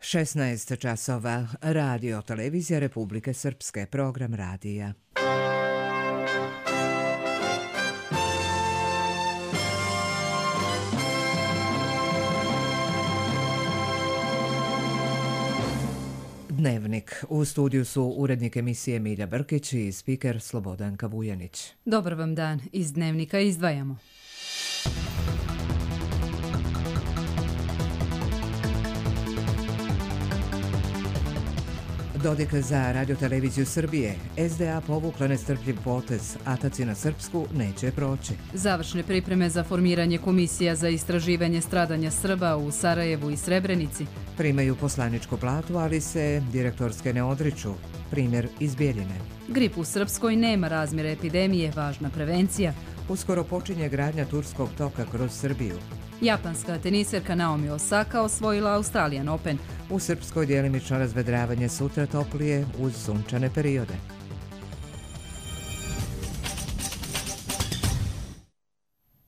16 časova. Radio televizija Republike Srpske. Program radija. Dnevnik. U studiju su urednik emisije Milja Brkić i spiker Slobodanka Vujanić. Dobar vam dan. Iz Dnevnika izdvajamo. Dodik za radioteleviziju Srbije. SDA povukla nestrpljiv potez. Ataci na srpsku neće proći. Završne pripreme za formiranje komisija za istraživanje stradanja Srba u Sarajevu i Srebrenici. Primaju poslaničku platu, ali se direktorske ne odriču. Primjer iz Bjeljine. Grip u Srpskoj nema razmjera epidemije, važna prevencija. Uskoro počinje gradnja turskog toka kroz Srbiju. Japanska teniserka Naomi Osaka osvojila Australian Open. U Srpskoj djelimično razvedravanje, sutra toplije uz sunčane periode.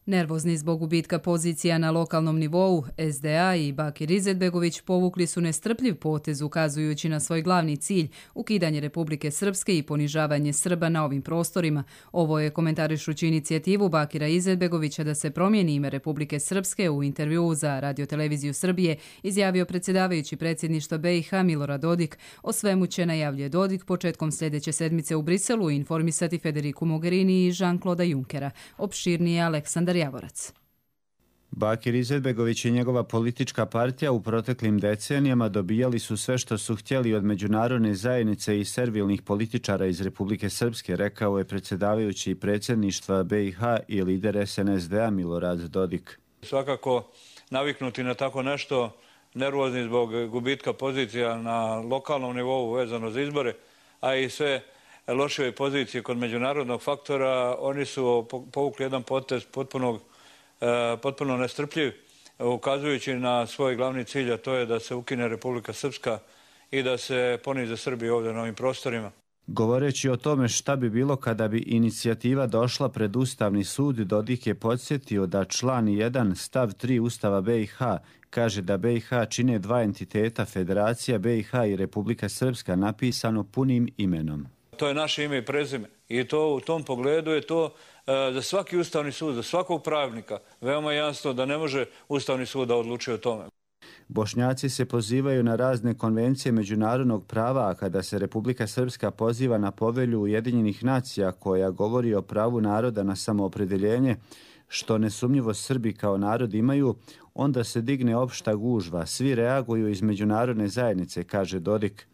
Nervozni zbog gubitka pozicija na lokalnom nivou, SDA i Bakir Izetbegović povukli su nestrpljiv potez ukazujući na svoj glavni cilj, ukidanje Republike Srpske i ponižavanje Srba na ovim prostorima. Ovo je komentarišući inicijativu Bakira Izetbegovića da se promijeni ime Republike Srpske u intervjuu za radioteleviziju Srbije izjavio predsjedavajući predsjedništva BiH Milorad Dodik. O svemu će, najavljuje Dodik, početkom sljedeće sedmice u Briselu informisati Federiku Mogherini i Jean-Claude Junckera. Opširnije Aleksandar Javorac. Bakir Izetbegović i njegova politička partija u proteklim decenijama dobijali su sve što su htjeli od međunarodne zajednice i servilnih političara iz Republike Srpske, rekao je predsjedavajući predsjedništva BiH i lider SNSD-a Milorad Dodik. Svakako naviknuti na tako nešto, nervozni zbog gubitka pozicija na lokalnom nivou vezano za izbore, a i sve lošije pozicije kod međunarodnog faktora, oni su povukli jedan potez potpuno nestrpljiv, ukazujući na svoj glavni cilj, a to je da se ukine Republika Srpska i da se ponize Srbi ovdje na ovim prostorima. Govoreći o tome šta bi bilo kada bi inicijativa došla pred Ustavni sud, Dodik je podsjetio da član 1 stav 3 Ustava BiH kaže da BiH čine dva entiteta, Federacija BiH i Republika Srpska, napisano punim imenom. To je naše ime i prezime i to u tom pogledu je to za svaki Ustavni sud, za svakog pravnika veoma jasno da ne može Ustavni sud da odlučuje o tome. Bošnjaci se pozivaju na razne konvencije međunarodnog prava, a kada se Republika Srpska poziva na povelju Ujedinjenih nacija koja govori o pravu naroda na samoopredeljenje, što nesumnjivo Srbi kao narod imaju, onda se digne opšta gužva. Svi reaguju iz međunarodne zajednice, kaže Dodik.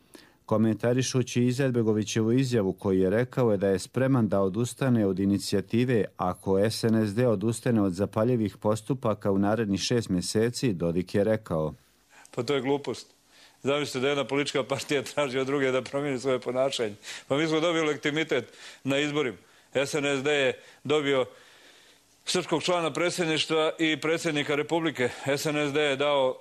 Komentarišući Izetbegovićevu izjavu koju je rekao da je spreman da odustane od inicijative ako SNSD odustane od zapaljivih postupaka u narednih 6 mjeseci, Dodik je rekao. Pa to je glupost. Zamislite da jedna politička partija traži od druge da promijeni svoje ponašanje. Pa mi smo dobili legitimitet na izborima. SNSD je dobio srpskog člana predsjedništva i predsjednika Republike. SNSD je dao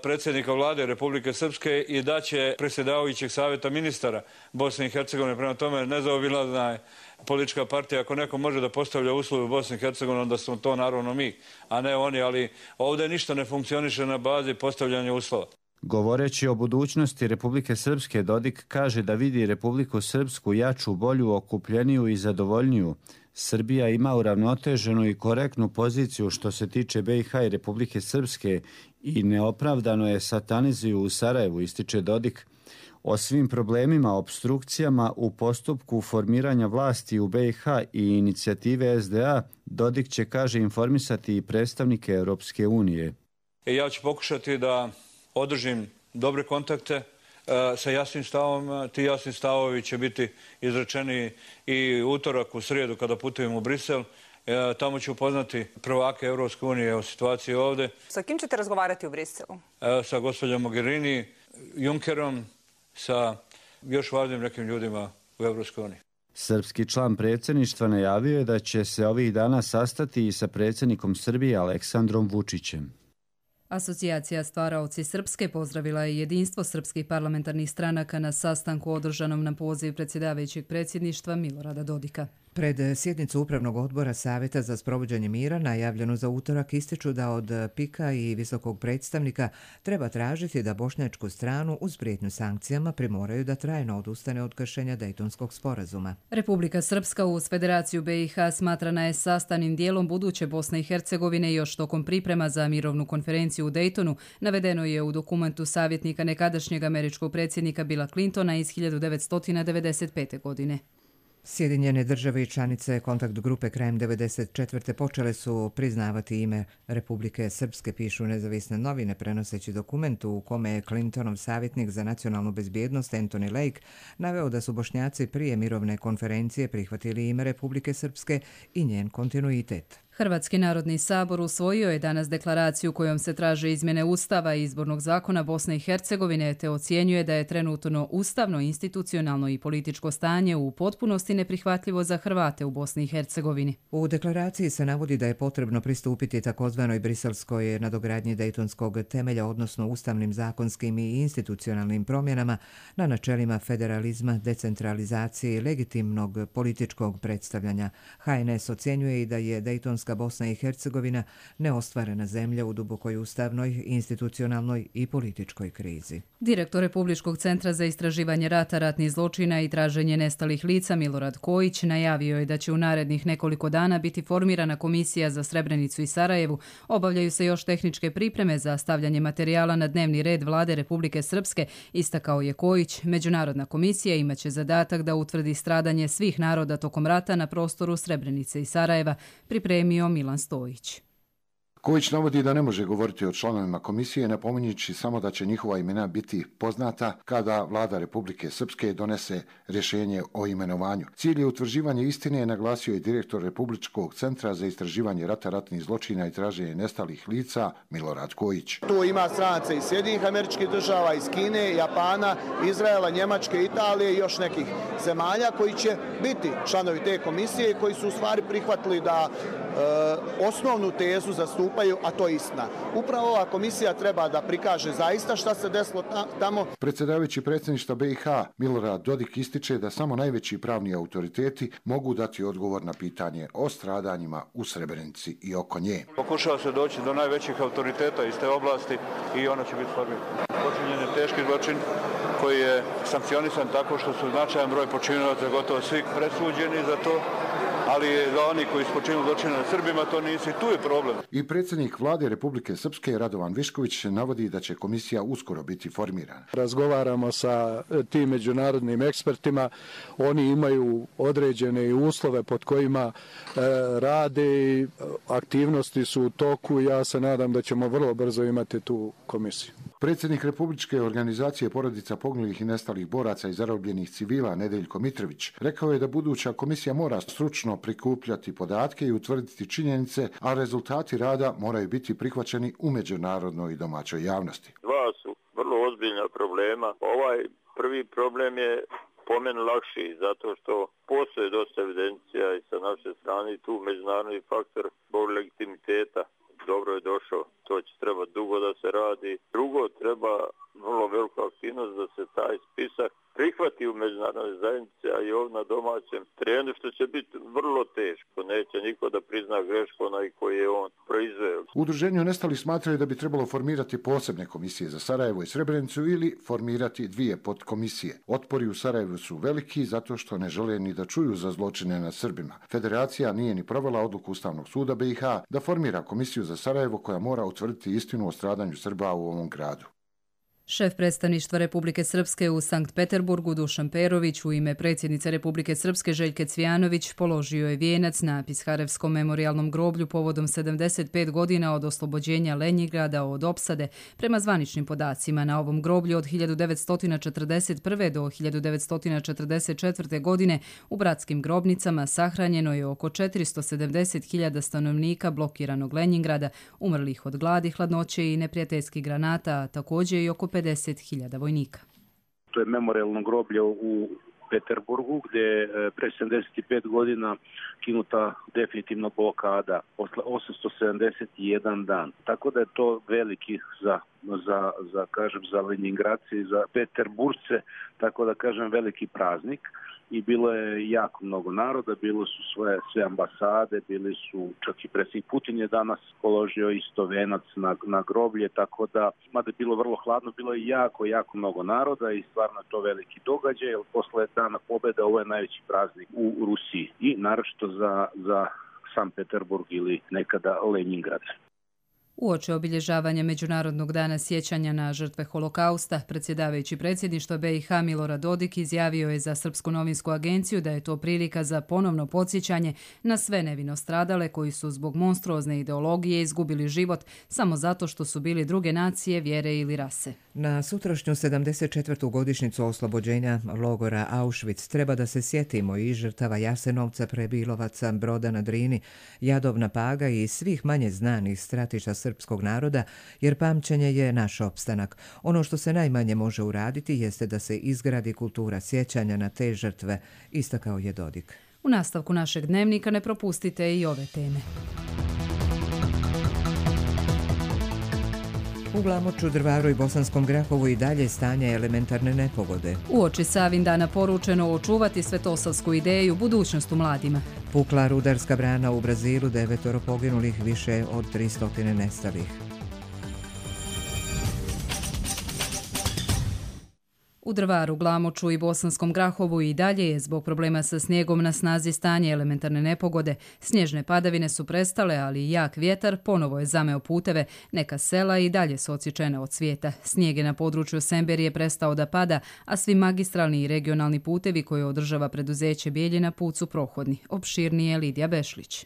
predsjednika vlade Republike Srpske i daće predsjedavajućeg savjeta ministara Bosne i Hercegovine. Prema tome, nezaobilazna je politička partija. Ako neko može da postavlja uslove u Bosni i Hercegovini, onda smo to naravno mi, a ne oni. Ali ovdje ništa ne funkcioniše na bazi postavljanja uslova. Govoreći o budućnosti Republike Srpske, Dodik kaže da vidi Republiku Srpsku jaču, bolju, okupljeniju i zadovoljniju. Srbija ima uravnoteženu i korektnu poziciju što se tiče BiH i Republike Srpske i neopravdano je satanizuju u Sarajevu, ističe Dodik. O svim problemima, opstrukcijama u postupku formiranja vlasti u BiH i inicijative SDA, Dodik će, kaže, informisati i predstavnike Europske unije. Ja ću pokušati da održim dobre kontakte sa jasnim stavom. Ti jasni stavovi će biti izrečeni i utorak u srijedu kada putujem u Brisel. Tamo ću upoznati prvake Europske unije o situaciji ovdje. Sa kim ćete razgovarati u Briselu? Sa gospođom Mogherini, Junckerom, sa još važnim nekim ljudima u Europskoj uniji. Srpski član predsjedništva najavio je da će se ovih dana sastati i sa predsjednikom Srbije Aleksandrom Vučićem. Asocijacija Stvaraoci Srpske pozdravila je jedinstvo srpskih parlamentarnih stranaka na sastanku održanom na poziv predsjedavajućeg predsjedništva Milorada Dodika. Pred sjednicu Upravnog odbora Savjeta za sprovođenje mira, najavljenu za utorak, ističu da od PIK-a i visokog predstavnika treba tražiti da bošnjačku stranu uz prijetnju sankcijama primoraju da trajno odustane od kršenja Dejtonskog sporazuma. Republika Srpska uz Federaciju BiH smatrana je sastavnim dijelom buduće Bosne i Hercegovine još tokom priprema za mirovnu konferenciju u Dejtonu, navedeno je u dokumentu savjetnika nekadašnjeg američkog predsjednika Billa Clintona iz 1995. godine. Sjedinjene države i članice kontakt grupe krajem 1994. počele su priznavati ime Republike Srpske, pišu nezavisne novine, prenoseći dokument u kome je Clintonov savjetnik za nacionalnu bezbjednost Anthony Lake naveo da su Bošnjaci prije mirovne konferencije prihvatili ime Republike Srpske i njen kontinuitet. Hrvatski narodni sabor usvojio je danas deklaraciju kojom se traže izmjene Ustava i izbornog zakona Bosne i Hercegovine te ocjenjuje da je trenutno ustavno, institucionalno i političko stanje u potpunosti neprihvatljivo za Hrvate u Bosni i Hercegovini. U deklaraciji se navodi da je potrebno pristupiti takozvanoj briselskoj nadogradnji Dejtonskog temelja, odnosno ustavnim, zakonskim i institucionalnim promjenama na načelima federalizma, decentralizacije i legitimnog političkog predstavljanja. HNS ocjenjuje i da je Dejtonska Bosna i Hercegovina neostvarena zemlja u dubokoj ustavnoj, institucionalnoj i političkoj krizi. Direktor Republičkog centra za istraživanje rata, ratnih zločina i traženje nestalih lica Milorad Kojić najavio je da će u narednih nekoliko dana biti formirana komisija za Srebrenicu i Sarajevu. Obavljaju se još tehničke pripreme za stavljanje materijala na dnevni red Vlade Republike Srpske, istakao je Kojić. Međunarodna komisija imaće zadatak da utvrdi stradanje svih naroda tokom rata na prostoru Srebrenice i Sarajeva, pripremio Milan Stojić. Kojić navodi da ne može govoriti o članovima komisije, napominjući samo da će njihova imena biti poznata kada Vlada Republike Srpske donese rješenje o imenovanju. Cilj je utvrđivanje istine, naglasio je direktor Republičkog centra za istraživanje rata, ratnih zločina i traženje nestalih lica Milorad Kojić. Tu ima stranaca iz Sjedinjenih Američkih Država, iz Kine, Japana, Izraela, Njemačke, Italije i još nekih zemalja koji će biti članovi te komisije i koji su u stvari prihvatili da osnovnu tezu zastupaju, a to je istina. Upravo ova komisija treba da prikaže zaista šta se desilo tamo. Predsjedavajući predsjedništva BiH Milorad Dodik ističe da samo najveći pravni autoriteti mogu dati odgovor na pitanje o stradanjima u Srebrenici i oko nje. Pokušava se doći do najvećih autoriteta iz te oblasti i ona će biti formirana. Počinjen je teški zločin koji je sankcionisan tako što su značajan broj počinilaca, gotovo svi presuđeni za to, ali za oni koji su počinili zločine na Srbima to nisi, tu je problem. I predsjednik Vlade Republike Srpske Radovan Višković navodi da će komisija uskoro biti formirana. Razgovaramo sa tim međunarodnim ekspertima, oni imaju određene uslove pod kojima rade i aktivnosti su u toku. Ja se nadam da ćemo vrlo brzo imati tu komisiju. Predsjednik Republičke organizacije porodica poginulih i nestalih boraca i zarobljenih civila Nedeljko Mitrović rekao je da buduća komisija mora stručno prikupljati podatke i utvrditi činjenice, a rezultati rada moraju biti prihvaćeni u međunarodnoj i domaćoj javnosti. Dva su vrlo ozbiljna problema. Ovaj prvi problem je po meni lakši zato što postoje dosta evidencija i sa naše strane tu međunarodni faktor zbog legitimiteta. Dobro je došao, to će treba dugo da se radi. Drugo, treba vrlo veliku aktivnost da se taj spisak prihvati u međunarodnoj zajednici, a i ovdje na domaćem terenu, što će biti vrlo teško. Neće niko da prizna grešku onaj koji je on proizveo. U udruženju nestalih smatraju da bi trebalo formirati posebne komisije za Sarajevo i Srebrenicu ili formirati dvije podkomisije. Otpori u Sarajevu su veliki zato što ne žele ni da čuju za zločine nad Srbima. Federacija nije ni provela odluku Ustavnog suda BiH da formira komisiju za Sarajevo koja mora utvrditi istinu o stradanju Srba u ovom gradu. Šef predstavništva Republike Srpske u Sankt Peterburgu Dušan Perović u ime predsjednice Republike Srpske Željke Cvijanović položio je vijenac na Pisharevskom memorijalnom groblju povodom 75 godina od oslobođenja Lenjingrada od opsade. Prema zvaničnim podacima na ovom groblju od 1941. do 1944. godine u bratskim grobnicama sahranjeno je oko 470.000 stanovnika blokiranog Lenjingrada, umrlih od gladi, hladnoće i neprijateljskih granata, a također i oko 50.000 vojnika. To je memorijalno groblje u Peterburgu, gdje je pre 75 godina kinuta definitivno blokada posle 871 dan. Tako da je to veliki za Leningradce i za Peterburgce, tako da kažem veliki praznik. I bilo je jako mnogo naroda, bilo su sve ambasade, bili su, čak i predsjednik Putin je danas položio isto venac na groblje, tako da, mada je bilo vrlo hladno, bilo je jako mnogo naroda i stvarno je to veliki događaj, jer posle dana pobjede ovo je najveći praznik u Rusiji i naročito za Sankt Peterburg ili nekada Leningrad. Uoči obilježavanja Međunarodnog dana sjećanja na žrtve holokausta, predsjedavajući predsjedništva BiH Milorad Dodik izjavio je za Srpsku novinsku agenciju da je to prilika za ponovno podsjećanje na sve nevino stradale koji su zbog monstruozne ideologije izgubili život samo zato što su bili druge nacije, vjere ili rase. Na sutrašnju 74. godišnjicu oslobođenja logora Auschwitz treba da se sjetimo i žrtava Jasenovca, Prebilovaca, Broda na Drini, Jadovna Paga i svih manje znanih stratišta srpskog naroda, jer pamćenje je naš opstanak. Ono što se najmanje može uraditi jeste da se izgradi kultura sjećanja na te žrtve, istakao je Dodik. U nastavku našeg dnevnika ne propustite i ove teme. U Glamoču, Drvaru i Bosanskom Grahovu i dalje stanje elementarne nepogode. Uoči Savindana poručeno očuvati svetosavsku ideju, budućnost u mladima. Pukla rudarska brana u Brazilu, 9 poginulih, više od 300 nestalih. U Drvaru, Glamoču i Bosanskom Grahovu i dalje je zbog problema sa snijegom na snazi stanje elementarne nepogode. Snježne padavine su prestale, ali i jak vjetar ponovo je zameo puteve. Neka sela i dalje su odsječene od svijeta. Snijeg je na području Semberije prestao da pada, a svi magistralni i regionalni putevi koje održava preduzeće Bijeljina put su prohodni. Opširnije Lidija Bešlić.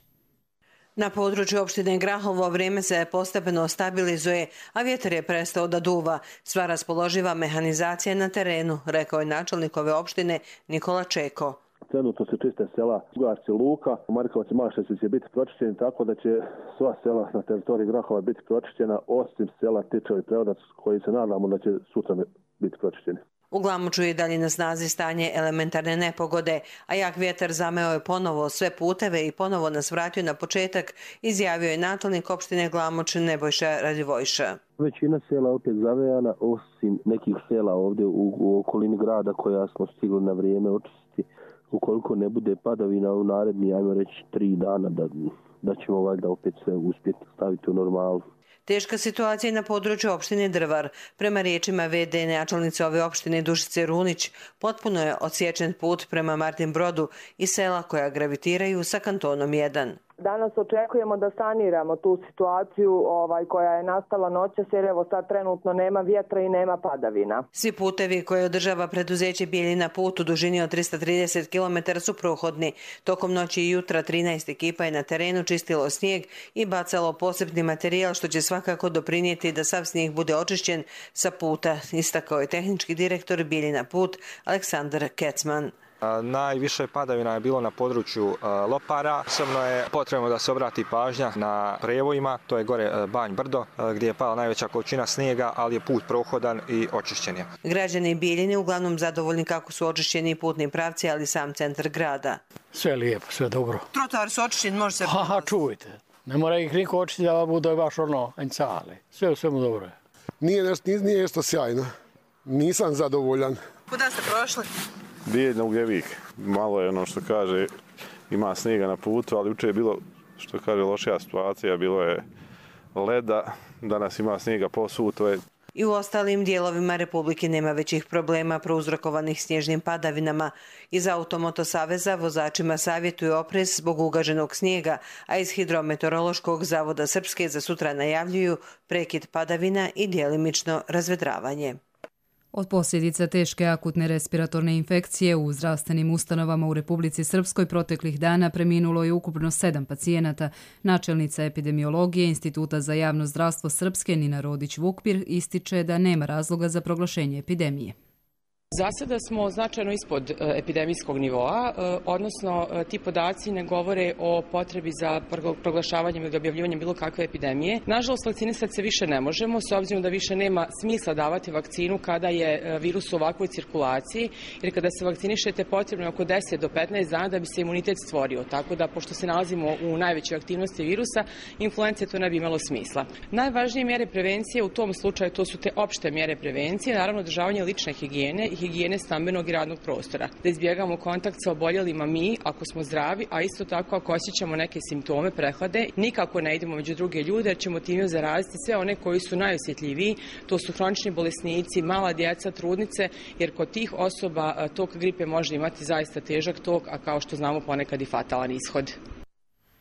Na području opštine Grahovo vrijeme se postepeno stabilizuje, a vjetar je prestao da duva. Sva raspoloživa mehanizacija na terenu, rekao je načelnik ove opštine Nikola Čeko. Trenutno se čiste sela Ugarci, Luka, Markovac i Mašesić će biti pročišćeni, tako da će sva sela na teritoriji Grahova biti pročišćena, osim sela Tičevo i Preodac, koji se nadamo da će sutra biti pročišćeni. U Glamoču je dalje na snazi stanje elementarne nepogode, a jak vjetar zameo je ponovo sve puteve i ponovo nas vratio na početak, izjavio je načelnik opštine Glamoč Nebojša Radivojša. Većina sela opet zavejana, osim nekih sela ovdje u okolini grada koja smo stigli na vrijeme očistiti. Ukoliko ne bude padavina u naredni, ajmo reći 3 dana, da ćemo valjda opet sve uspjeti staviti u normalu. Teška situacija je na području opštine Drvar. Prema riječima VD načelnice ove opštine Dušice Runić, potpuno je odsječen put prema Martin Brodu i sela koja gravitiraju sa kantonom 1. Danas očekujemo da saniramo tu situaciju koja je nastala noćas, jer evo sad trenutno nema vjetra i nema padavina. Svi putevi koje održava preduzeće Bijeljina put u dužini od 330 km su prohodni. Tokom noći i jutra 13 ekipa je na terenu čistilo snijeg i bacalo posebni materijal, što će svakako doprinijeti da sav snijeg bude očišćen sa puta, istakao je tehnički direktor Bijeljina put Aleksandar Kecman. Najviše padavina je bilo na području Lopara. Osobno je potrebno da se obrati pažnja na prevojima, to je gore Banj Brdo, gdje je pala najveća količina snijega, ali je put prohodan i očišćen je. Građani Bijeljine uglavnom zadovoljni kako su očišćeni putni pravci, ali sam centar grada. Sve lijepo, sve dobro. Trotoar su očišćeni, može se... Čujte, ne mora ih niko očistiti da bude baš encale. Sve u svemu dobro je. Nije nešto sjajno. Nisam zadovoljan. Kuda ste prošli? Bijeljina Ugljevik. Malo je što kaže, ima snijega na putu, ali jučer je bilo, što kaže, lošija situacija, bilo je leda, danas ima snijega posvuto. I u ostalim dijelovima Republike nema većih problema prouzrokovanih snježnim padavinama. Iz Automoto saveza vozačima savjetuju oprez zbog ugaženog snijega, a iz Hidrometeorološkog zavoda Srpske za sutra najavljuju prekid padavina i djelimično razvedravanje. Od posljedica teške akutne respiratorne infekcije u zdravstvenim ustanovama u Republici Srpskoj proteklih dana preminulo je ukupno 7 pacijenata. Načelnica epidemiologije Instituta za javno zdravstvo Srpske Nina Rodić-Vukpir ističe da nema razloga za proglašenje epidemije. Za sada smo značajno ispod epidemijskog nivoa, odnosno ti podaci ne govore o potrebi za proglašavanjem ili objavljivanjem bilo kakve epidemije. Nažalost, vakcinisati se više ne možemo, s obzirom da više nema smisla davati vakcinu kada je virus u ovakvoj cirkulaciji, jer kada se vakcinišete potrebno je oko 10 do 15 dana da bi se imunitet stvorio. Tako da, pošto se nalazimo u najvećoj aktivnosti virusa, influence to ne bi imalo smisla. Najvažnije mjere prevencije u tom slučaju to su te opšte mjere prevencije, naravno održavanje lične higijene i higijene stambenog i radnog prostora. Da izbjegamo kontakt sa oboljelima mi, ako smo zdravi, a isto tako ako osjećamo neke simptome prehlade, nikako ne idemo među druge ljude jer ćemo time zaraziti sve one koji su najosjetljiviji, to su hronični bolesnici, mala djeca, trudnice, jer kod tih osoba tok gripe može imati zaista težak tok, a kao što znamo ponekad i fatalan ishod.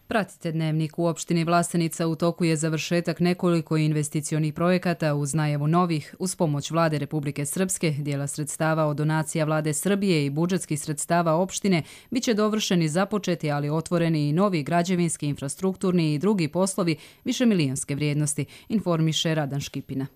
Pratite Dnevnik. U opštini Vlasenica u toku je završetak nekoliko investicionih projekata uz najavu novih uz pomoć Vlade Republike Srpske, dijela sredstava od donacija Vlade Srbije i budžetskih sredstava opštine bit će dovršeni započeti, ali otvoreni i novi građevinski, infrastrukturni i drugi poslovi višemilijonske vrijednosti, informiše Radan Škipina.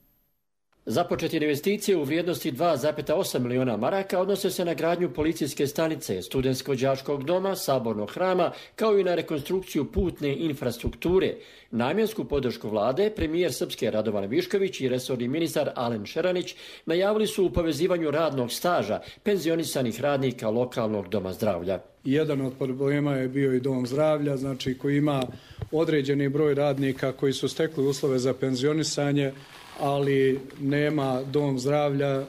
Započeti investicije u vrijednosti 2,8 miliona maraka odnose se na gradnju policijske stanice, studentsko-đačkog doma, sabornog hrama, kao i na rekonstrukciju putne infrastrukture. Namjensku podršku vlade, premijer Srpske Radovan Višković i resorni ministar Alen Šeranić najavili su u povezivanju radnog staža penzionisanih radnika lokalnog doma zdravlja. Jedan od problema je bio i dom zdravlja, znači koji ima određeni broj radnika koji su stekli uslove za penzionisanje, ali nema dom zdravlja,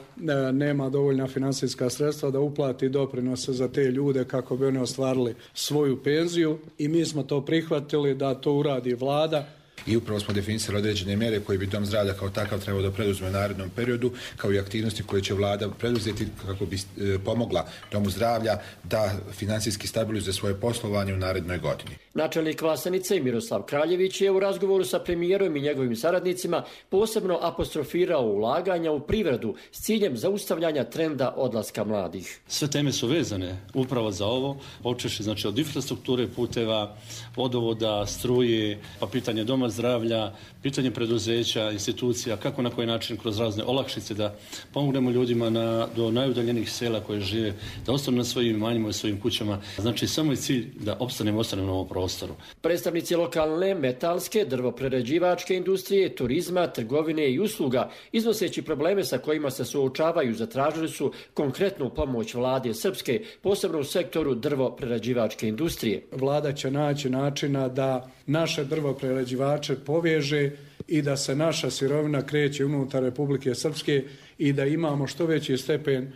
nema dovoljna finansijska sredstva da uplati doprinose za te ljude kako bi oni ostvarili svoju penziju i mi smo to prihvatili da to uradi vlada. I upravo smo definisali određene mjere koje bi dom zdravlja kao takav trebao da preduzme u narednom periodu, kao i aktivnosti koje će vlada preduzeti kako bi pomogla domu zdravlja da finansijski stabilizuje svoje poslovanje u narednoj godini. Načelnik Vlasenice Miroslav Kraljević je u razgovoru sa premijerom i njegovim saradnicima posebno apostrofirao ulaganja u privredu s ciljem zaustavljanja trenda odlaska mladih. Sve teme su vezane upravo za ovo, počevši znači od infrastrukture, puteva, vodovoda, struje, pa pitanje doma zdravlja, pitanje preduzeća, institucija, kako na koji način kroz razne olakšice da pomognemo ljudima do najudaljenijih sela koje žive, da ostanu na svojim imanjima i svojim kućama. Znači samo je cilj da ostanemo na ovom prostoru. Predstavnici lokalne, metalske, drvoprerađivačke industrije, turizma, trgovine i usluga, iznoseći probleme sa kojima se suočavaju, zatražili su konkretnu pomoć vlade Srpske, posebno u sektoru drvoprerađivačke industrije. Vlada će naći načina da naše drvoprerađivače poveže i da se naša sirovina kreće unutar Republike Srpske i da imamo što veći stepen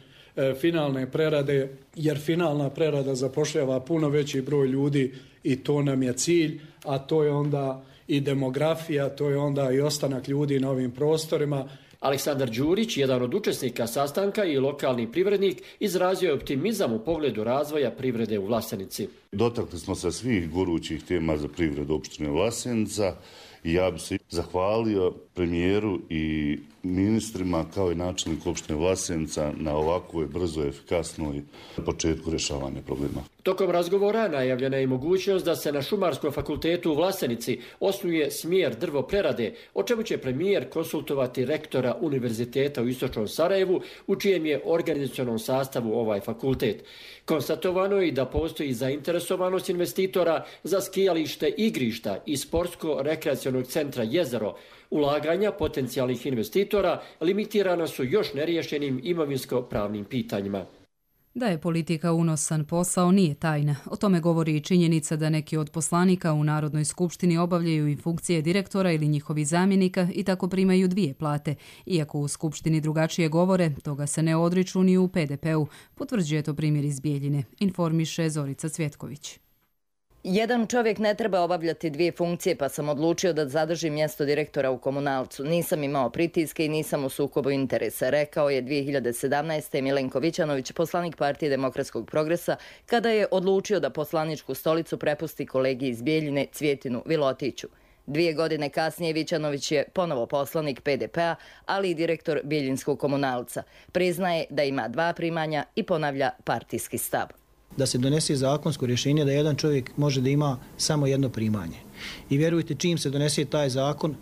finalne prerade, jer finalna prerada zapošljava puno veći broj ljudi i to nam je cilj, a to je onda i demografija, to je onda i ostanak ljudi na ovim prostorima. Aleksandar Đurić, jedan od učesnika sastanka i lokalni privrednik, izrazio je optimizam u pogledu razvoja privrede u Vlasenici. Dotakli smo se svih gorućih tema za privredu opštine Vlasenica i ja bih se zahvalio premijeru i ministrima kao i načelniku opštine Vlasenica na ovakvoj brzoj, efikasnoj početku rješavanja problema. Tokom razgovora najavljena je i mogućnost da se na Šumarskom fakultetu u Vlasenici osnuje smjer drvoprerade, o čemu će premijer konsultovati rektora Univerziteta u Istočnom Sarajevu, u čijem je organizacionom sastavu ovaj fakultet. Konstatovano je i da postoji zainteresovanost investitora za skijalište igrišta i sportsko-rekreacionog centra Jezero. Ulaganja potencijalnih investitora limitirana su još neriješenim imovinsko-pravnim pitanjima. Da je politika unosan posao nije tajna. O tome govori i činjenica da neki od poslanika u Narodnoj skupštini obavljaju i funkcije direktora ili njihovi zamjenika i tako primaju 2 plate. Iako u skupštini drugačije govore, toga se ne odriču ni u PDP-u. Potvrđuje to primjer iz Bijeljine, informiše Zorica Cvjetković. Jedan čovjek ne treba obavljati 2 funkcije, pa sam odlučio da zadržim mjesto direktora u Komunalcu. Nisam imao pritiske i nisam u sukobu interesa, rekao je 2017. Milenko Vićanović, poslanik Partije demokratskog progresa, kada je odlučio da poslaničku stolicu prepusti kolegi iz Bijeljine Cvjetinu Vilotiću. 2 godine kasnije Vićanović je ponovo poslanik PDP-a, ali i direktor Bijeljinskog Komunalca. Priznaje da ima 2 primanja i ponavlja partijski stav. Da se donese zakonsko rješenje da jedan čovjek može da ima samo jedno primanje. I vjerujte, čim se donese taj zakon,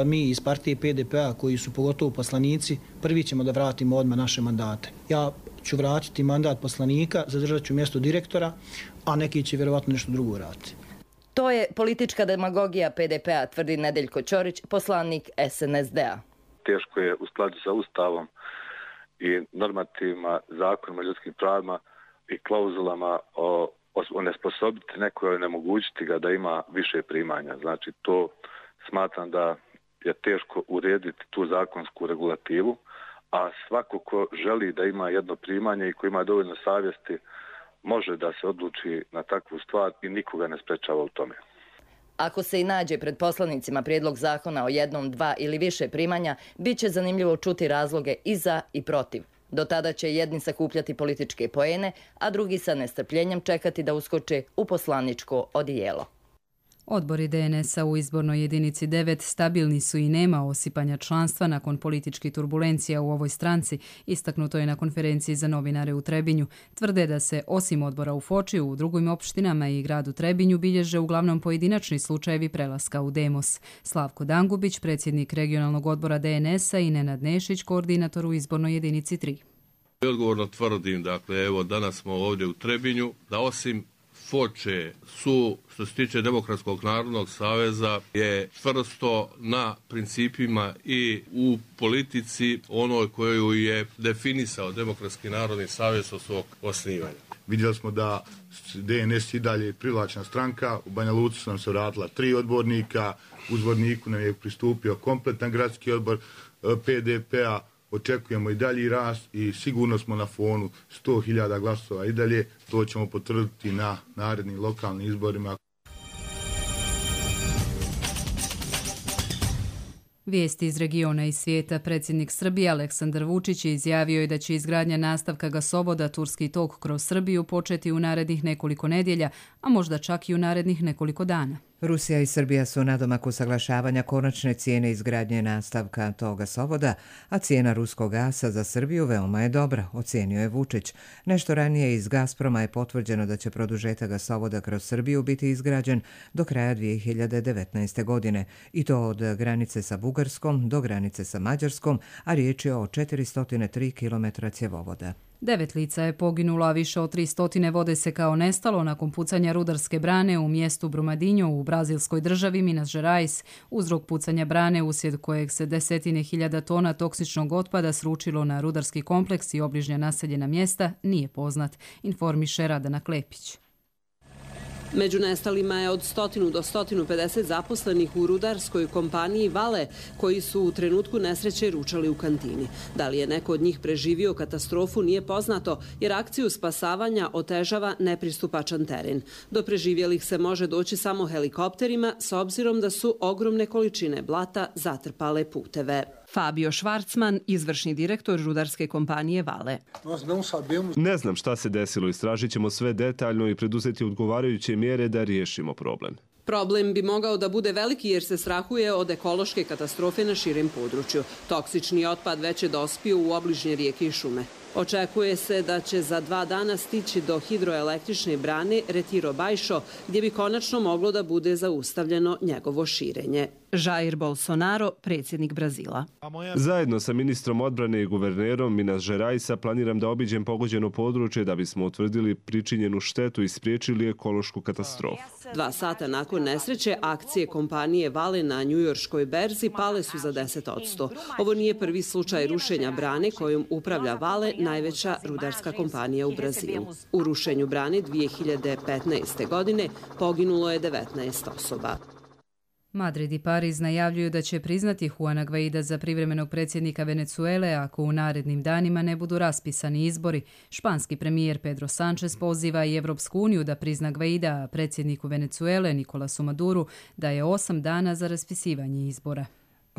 mi iz partije PDP-a koji su pogotovo poslanici, prvi ćemo da vratimo odmah naše mandate. Ja ću vratiti mandat poslanika, zadržat ću mjesto direktora, a neki će vjerovatno nešto drugo raditi. To je politička demagogija PDP-a, tvrdi Nedeljko Ćorić, poslanik SNSD-a. Teško je u skladu sa Ustavom i normativima, zakonima, ljudskim pravima i klauzulama onesposobiti nekoga, onemogućiti ga da ima više primanja. Znači, to smatram da je teško urediti tu zakonsku regulativu, a svako ko želi da ima jedno primanje i ko ima dovoljno savjesti može da se odluči na takvu stvar i nikoga ne sprečava u tome. Ako se i nađe pred poslanicima prijedlog zakona o jednom, dva ili više primanja, bit će zanimljivo čuti razloge i za i protiv. Do tada će jedni sakupljati političke poene, a drugi sa nestrpljenjem čekati da uskoče u poslaničko odijelo. Odbori DNS-a u izbornoj jedinici 9 stabilni su i nema osipanja članstva nakon političkih turbulencija u ovoj stranci, istaknuto je na konferenciji za novinare u Trebinju. Tvrde da se osim odbora u Foči u drugim opštinama i gradu Trebinju bilježe uglavnom pojedinačni slučajevi prelaska u Demos. Slavko Dangubić, predsjednik regionalnog odbora DNS-a i Nenad Nešić, koordinator u izbornoj jedinici 3. Odgovorno tvrdim, dakle, evo danas smo ovdje u Trebinju, da osim Foče su, što se tiče Demokratskog narodnog saveza, je čvrsto na principima i u politici onoj koju je definisao Demokratski narodni savez od svog osnivanja. Vidjeli smo da DNS i dalje privlačna stranka, u Banja Luci su nam se vratila 3 odbornika, u Zvorniku nam je pristupio kompletan gradski odbor PDP-a, očekujemo i dalji rast i sigurno smo na fonu 100.000 glasova i dalje. To ćemo potvrditi na narednim lokalnim izborima. Vijesti iz regiona i svijeta. Predsjednik Srbije Aleksandar Vučić izjavio je da će izgradnja nastavka gasovoda Turski tok kroz Srbiju početi u narednih nekoliko nedjelja, a možda čak i u narednih nekoliko dana. Rusija i Srbija su nadomak usaglašavanja konačne cijene izgradnje nastavka tog gasovoda, a cijena ruskog gasa za Srbiju veoma je dobra, ocijenio je Vučić. Nešto ranije iz Gazproma je potvrđeno da će produžetak gasovoda kroz Srbiju biti izgrađen do kraja 2019. godine, i to od granice sa Bugarskom do granice sa Mađarskom, a riječ je o 403 km cjevovoda. 9 lica je poginulo, a više od 300 vode se kao nestalo nakon pucanja rudarske brane u mjestu Brumadinho u brazilskoj državi Minas Gerais. Uzrok pucanja brane, uslijed kojeg se 10.000 tona toksičnog otpada sručilo na rudarski kompleks i obližnja naseljena mjesta, nije poznat, informiše Radana Klepić. Među nestalima je od 100 do 150 zaposlenih u rudarskoj kompaniji Vale, koji su u trenutku nesreće ručali u kantini. Da li je neko od njih preživio katastrofu nije poznato, jer akciju spasavanja otežava nepristupačan teren. Do preživjelih se može doći samo helikopterima, s obzirom da su ogromne količine blata zatrpale puteve. Fabio Švarcman, izvršni direktor rudarske kompanije Vale. Ne znam šta se desilo, istražit ćemo sve detaljno i preduzeti odgovarajuće mjere da riješimo problem. Problem bi mogao da bude veliki jer se strahuje od ekološke katastrofe na širem području. Toksični otpad već je dospio u obližnje rijeke i šume. Očekuje se da će za 2 dana stići do hidroelektrične brane Retiro Baixo, gdje bi konačno moglo da bude zaustavljeno njegovo širenje. Jair Bolsonaro, predsjednik Brazila. Zajedno sa ministrom odbrane i guvernerom Minas Geraisa planiram da obiđem pogođeno područje da bismo utvrdili pričinjenu štetu i spriječili ekološku katastrofu. 2 sata nakon nesreće, akcije kompanije Vale na njujorškoj berzi pale su za 10%. Ovo nije prvi slučaj rušenja brane kojom upravlja Vale, najveća rudarska kompanija u Brazilu. U rušenju brane 2015. godine poginulo je 19 osoba. Madrid i Pariz najavljuju da će priznati Juana Guaida za privremenog predsjednika Venezuele ako u narednim danima ne budu raspisani izbori. Španski premijer Pedro Sánchez poziva i Evropsku uniju da prizna Guaida, a predsjedniku Venezuele Nikolasu Maduru daje 8 dana za raspisivanje izbora.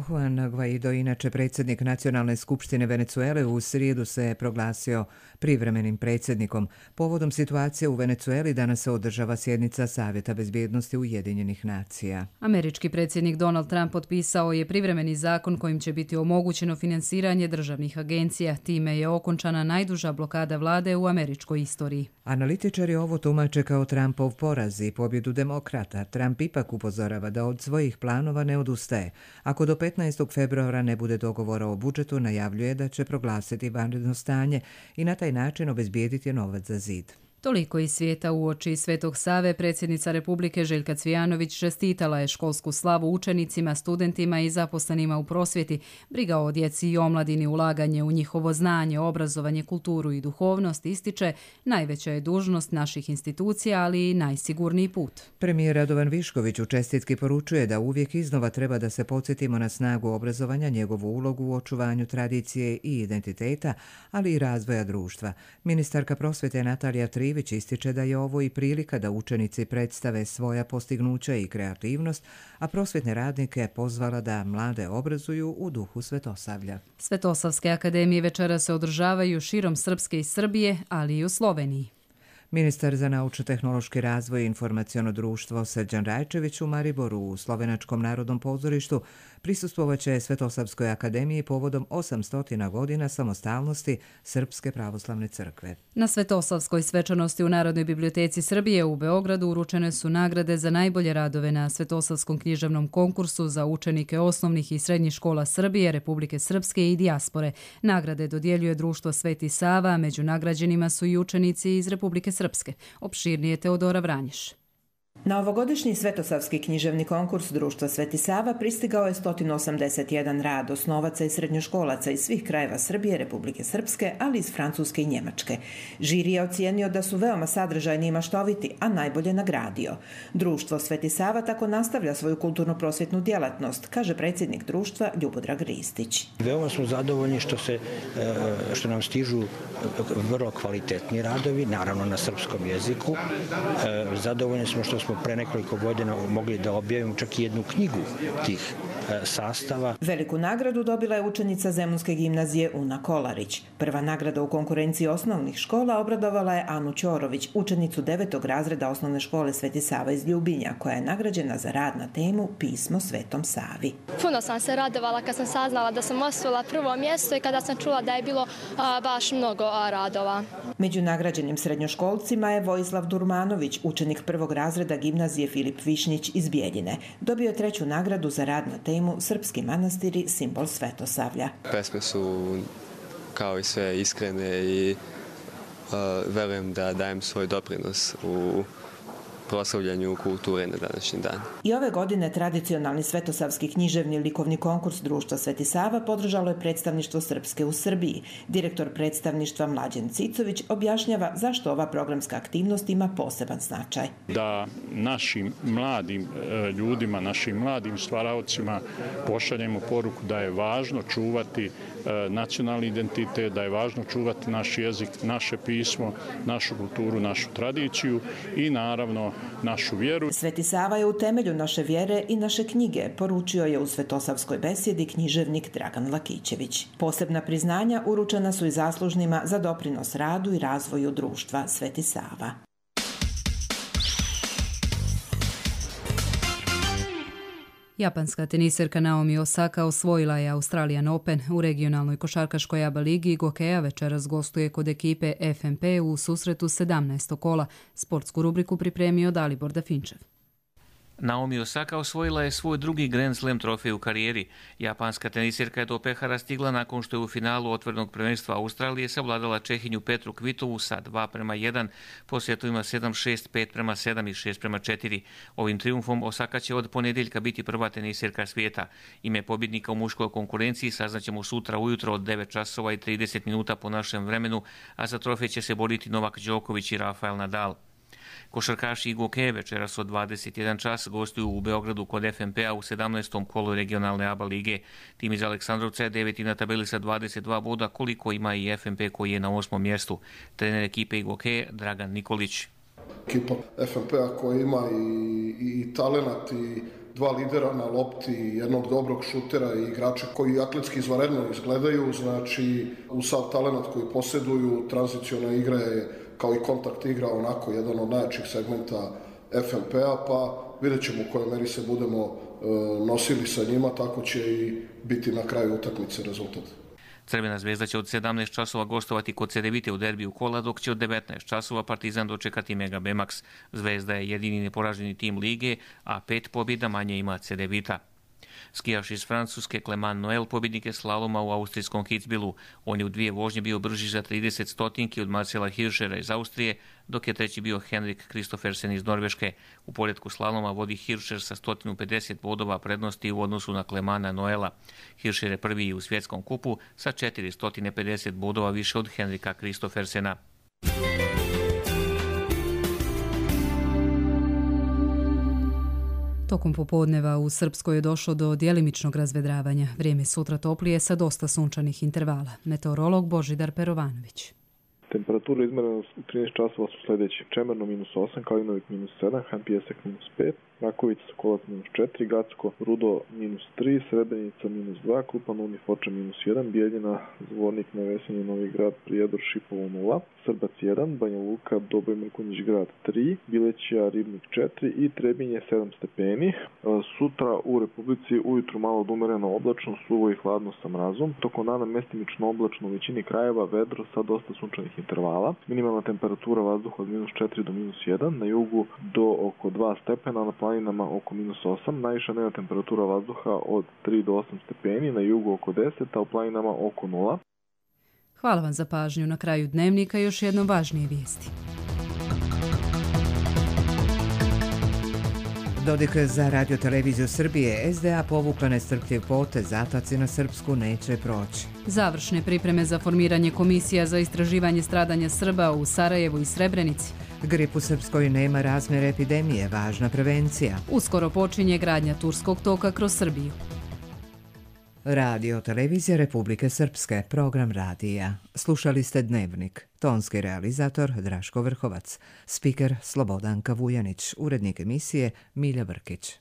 Juan Guaido, inače predsjednik Nacionalne skupštine Venezuele, u srijedu se proglasio privremenim predsjednikom. Povodom situacije u Venezueli danas se održava sjednica Savjeta bezbjednosti Ujedinjenih nacija. Američki predsjednik Donald Trump potpisao je privremeni zakon kojim će biti omogućeno finansiranje državnih agencija. Time je okončana najduža blokada vlade u američkoj istoriji. Analitičari ovo tumače kao Trumpov poraz i pobjedu demokrata. Trump ipak upozorava da od svojih planova ne odustaje. Ako do 15. februara ne bude dogovora o budžetu, najavljuje da će proglasiti vanredno stanje i na taj način obezbijediti novac za zid. Toliko iz svijeta uoči Svetog Save, predsjednica Republike Željka Cvijanović čestitala je školsku slavu učenicima, studentima i zaposlenima u prosvjeti, briga o djeci i omladini, ulaganje u njihovo znanje, obrazovanje, kulturu i duhovnost, ističe, najveća je dužnost naših institucija, ali i najsigurniji put. Premijer Radovan Višković u čestitki poručuje da uvijek iznova treba da se podsjetimo na snagu obrazovanja, njegovu ulogu u očuvanju tradicije i identiteta, ali i razvoja društva. Ministarka prosvjete Natalija Trivić ističe da je ovo i prilika da učenici predstave svoja postignuća i kreativnost, a prosvjetne radnike pozvala da mlade obrazuju u duhu Svetosavlja. Svetosavske akademije večera se održavaju širom Srpske i Srbije, ali i u Sloveniji. Ministar za naučno-tehnološki razvoj i informaciono društvo Srđan Rajčević u Mariboru u Slovenačkom narodnom pozorištu prisustvovaće Svetosavskoj akademiji povodom 800 godina samostalnosti Srpske pravoslavne crkve. Na Svetosavskoj svečanosti u Narodnoj biblioteci Srbije u Beogradu uručene su nagrade za najbolje radove na Svetosavskom književnom konkursu za učenike osnovnih i srednjih škola Srbije, Republike Srpske i dijaspore. Nagrade dodjeljuje društvo Sveti Sava, među nagrađenima su i učenici iz Republike Srpske. Opširnije Teodora Vranješ. Na ovogodišnji Svetosavski književni konkurs društva Sveti Sava pristigao je 181 rad osnovaca i srednjoškolaca iz svih krajeva Srbije, Republike Srpske, ali iz Francuske i Njemačke. Žiri je ocijenio da su veoma sadržajni i maštoviti, a najbolje nagradio. Društvo Sveti Sava tako nastavlja svoju kulturno-prosvjetnu djelatnost, kaže predsjednik društva Ljubodrag Ristić. Veoma smo zadovoljni što nam stižu vrlo kvalitetni radovi, naravno na srpskom jeziku. Zadovoljni smo što smo pre nekoliko godina mogli da objavimo čak i jednu knjigu tih sastava. Veliku nagradu dobila je učenica Zemunske gimnazije Una Kolarić. Prva nagrada u konkurenciji osnovnih škola obradovala je Anu Ćorović, učenicu 9. razreda osnovne škole Sveti Sava iz Ljubinja, koja je nagrađena za rad na temu Pismo Svetom Savi. Puno sam se radovala kad sam saznala da sam osvojila prvo mjesto i kada sam čula da je bilo baš mnogo radova. Među nagrađenim srednjoškolcima je Vojislav Durmanović, učenik 1. razreda gimnazije Filip Višnjić iz Bijeljine. Dobio je 3. nagradu za rad na temu Srpski manastiri, simbol Svetosavlja. Pesme su kao i sve iskrene i verujem da dajem svoj doprinos u proslavljanju kulture na današnji dan. I ove godine tradicionalni Svetosavski književni likovni konkurs društva Sveti Sava podržalo je predstavništvo Srpske u Srbiji. Direktor predstavništva Mlađen Cicović objašnjava zašto ova programska aktivnost ima poseban značaj. Da našim mladim ljudima, našim mladim stvaraocima pošaljemo poruku da je važno čuvati nacionalni identitet, da je važno čuvati naš jezik, naše pismo, našu kulturu, našu tradiciju i naravno našu vjeru. Sveti Sava je u temelju naše vjere i naše knjige, poručio je u Svetosavskoj besjedi književnik Dragan Lakićević. Posebna priznanja uručena su i zaslužnima za doprinos radu i razvoju društva Sveti Sava. Japanska teniserka Naomi Osaka osvojila je Australian Open u regionalnoj košarkaškoj ABA ligi. Gokeja večeras gostuje kod ekipe FNP u susretu 17. kola. Sportsku rubriku pripremio Dalibor Dafinčev. Naomi Osaka osvojila je svoj drugi Grand Slam trofej u karijeri. Japanska tenisirka je do pehara stigla nakon što je u finalu otvorenog prvenstva Australije savladala Čehinju Petru Kvitovu sa 2:1, po setovima 7-6, 5:7 i 6:4. Ovim triumfom Osaka će od ponedjeljka biti prva tenisirka svijeta. Ime pobjednika u muškoj konkurenciji saznaćemo sutra ujutro od 9:30 po našem vremenu, a za trofej će se boriti Novak Đoković i Rafael Nadal. Košarkaši i Gokeje večeras od 21 čas gostuju u Beogradu kod FNP-a u 17. kolu regionalne ABA lige. Tim iz Aleksandrovca je 9. na tabeli sa 22 boda, koliko ima i FNP koji je na 8. mjestu. Trener ekipe i Gokeje Dragan Nikolić. Ekipa FNP-a koja ima i talenat i dva lidera na lopti, jednog dobrog šutera i igrača koji atletski izvanredno izgledaju, znači u sav talenat koji posjeduju, tranziciona igra je kao i kontakt igra onako jedan od najjačih segmenta FNP-a, pa vidjet ćemo u kojoj meri se budemo nosili sa njima, tako će i biti na kraju utakmice rezultat. Crvena zvezda će od 17 časova gostovati kod Cedevite u derbiju kola, dok će od 19 časova Partizan dočekati Mega Bemax. Zvezda je jedini neporaženi tim lige, a 5 pobjeda manje ima Cedevita. Skijaš iz Francuske Clement Noel pobjednik je slaloma u austrijskom Kitzbühelu. On je u 2 vožnje bio brži za 30 stotinki od Marcela Hirschera iz Austrije, dok je treći bio Henrik Kristoffersen iz Norveške. U poredku slaloma vodi Hirscher sa 150 bodova prednosti u odnosu na Clementa Noela. Hirscher je prvi u svjetskom kupu sa 450 bodova više od Henrika Kristoffersena. Tokom popodneva u Srpskoj je došlo do djelimičnog razvedravanja. Vrijeme sutra toplije sa dosta sunčanih intervala. Meteorolog Božidar Perovanović. Temperatura izmjerena u 13 časova su sljedeći. Čemerno -8, Kalinovik -7, Han Pijesak -5, Rakovica Sokolac -4, Gacko Rudo -3, Srebrenica -2, Krupan Uni Foča -1, Bijeljina Zvornik na Vesenje Novi Grad Prijedor Šipovo 0, Srbac 1, Banja Luka Doboj Mrkonjić Grad 3, Bilećija Ribnik 4 i Trebinje 7 stepeni. Sutra u Republici ujutru malo odumereno oblačno, suvo i hladno sa mrazom. Tokom dana mestimično oblačno u većini krajeva, vedro sa dosta sunčanih intervala. Minimalna temperatura vazduha od -4 do -1, na jugu do oko 2 stepena, na planinama oko -8, najviša dnevna temperatura vazduha od 3 do 8 stepeni, na jugu oko 10, a u planinama oko 0. Hvala vam za pažnju. Na kraju dnevnika još jedno važnije vijesti. Dodik za Radio-televiziju Srbije. SDA povukla nestrpljiv potez, ataci na Srpsku neće proći. Završne pripreme za formiranje komisija za istraživanje stradanja Srba u Sarajevu i Srebrenici. Grip u Srpskoj nema razmjer epidemije, važna prevencija. Uskoro počinje gradnja Turskog toka kroz Srbiju. Radio-televizija Republike Srpske, program radija. Slušali ste Dnevnik. Tonski realizator Draško Vrhovac. Spiker Slobodanka Vujanić. Urednik emisije Milja Brkić.